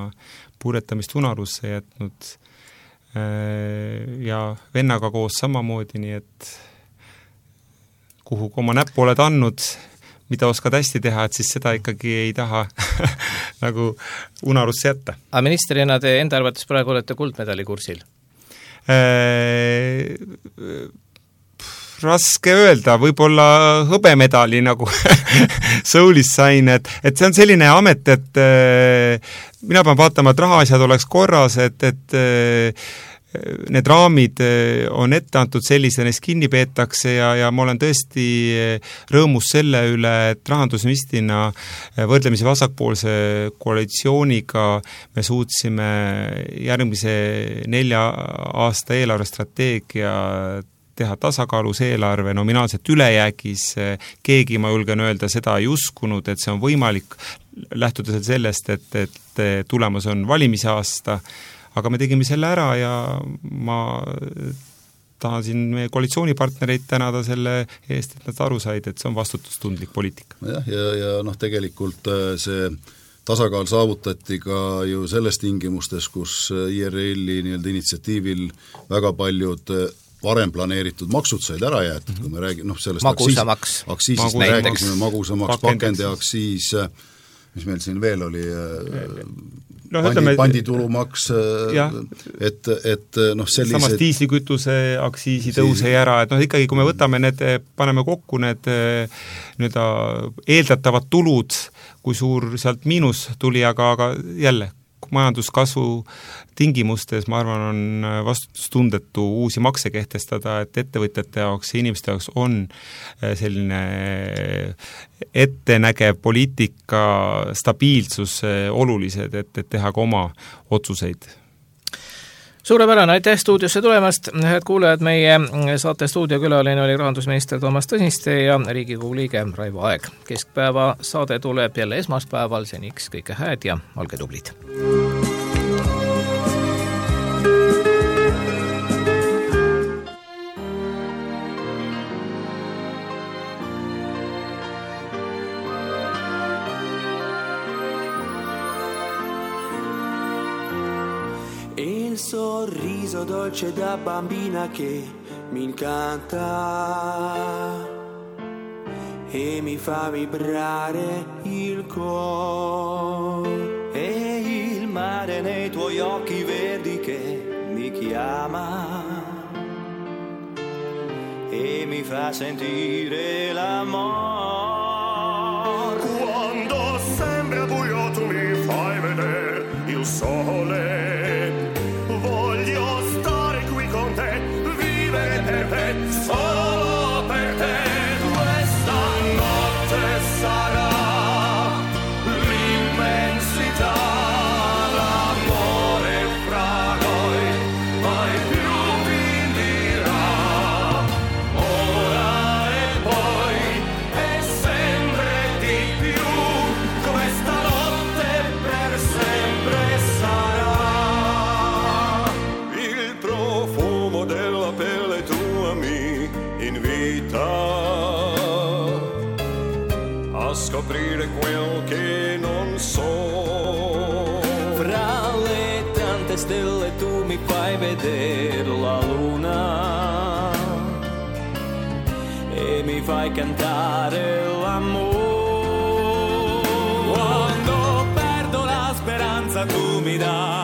puretamist unarusse jätnud ja vennaga koos samamoodi, nii et kuhu oma näppu oled andnud, mida oskad hästi teha, et siis seda ikkagi ei taha nagu unarusse jätta. Aga ministerina te enda arvates praegu olete kuldmedali kursil? Raske öelda, võib-olla hõbemedali nagu Soulis sain, et see on selline amet, et mina pean vaatama, et rahaasjad oleks korras, et need raamid on ette antud sellise, neist kinni peetakse ja ma olen tõesti rõõmus selle üle, et rahandusministrina võrdlemisi vasakpoolse koalitsiooniga me suutsime järgmise 4 aasta eelarvestrateegia teha tasakaalus eelarve nominaalselt ülejäägis, keegi, ma julgen öelda, seda ei uskunud, et see on võimalik, lähtudes sellest, et tulemas on valimisaasta, aga me tegime selle ära ja ma tahan siin meie koalitsioonipartnereid tänada selle eest, et nad aru said, et see on vastutustundlik poliitika. Ja tegelikult see tasakaal saavutati ka ju selles tingimustes, kus IRL-i initsiatiivil väga paljud varem planeeritud maksud said ära jäetud, kui me räägime sellest aktsiisist me rääkisime, magusamaks, pakendiaktsiis, mis meil siin veel oli, panditulumaks, et sellised... Samas diislikütuse aktsiisi tõuse ära, et ikkagi kui me võtame need, paneme kokku need eeldatavad tulud, kui suur sealt miinus tuli, aga jälle, majanduskasvu tingimustes, ma arvan, on vastutustundetu uusi makse kehtestada, et ettevõtjate jaoks ja inimeste jaoks on selline ettenägev poliitika stabiilsus olulised, et teha ka oma otsuseid. Suurepärane, aitäh stuudiosse tulemast. Head kuulajad, meie saate stuudiokülaline oli rahandusminister Toomas Tõniste ja Riigikogu liige Raivo Aeg. Keskpäeva saade tuleb jälle esmaspäeval, seniks kõike hääd ja olge tublid. Il sorriso dolce da bambina che mi incanta e mi fa vibrare il cuore e il mare nei tuoi occhi verdi che mi chiama e mi fa sentire l'amore. Quando sembra buio tu mi fai vedere il sole. Voglio stare qui con te, vivere per te, solo per te. Questa notte sarà l'immensità, l'amore fra noi mai più finirà. Ora e poi e sempre di più, questa notte scoprire quel che non so. Fra le tante stelle tu mi fai vedere la luna e mi fai cantare l'amore. Quando perdo la speranza tu mi dai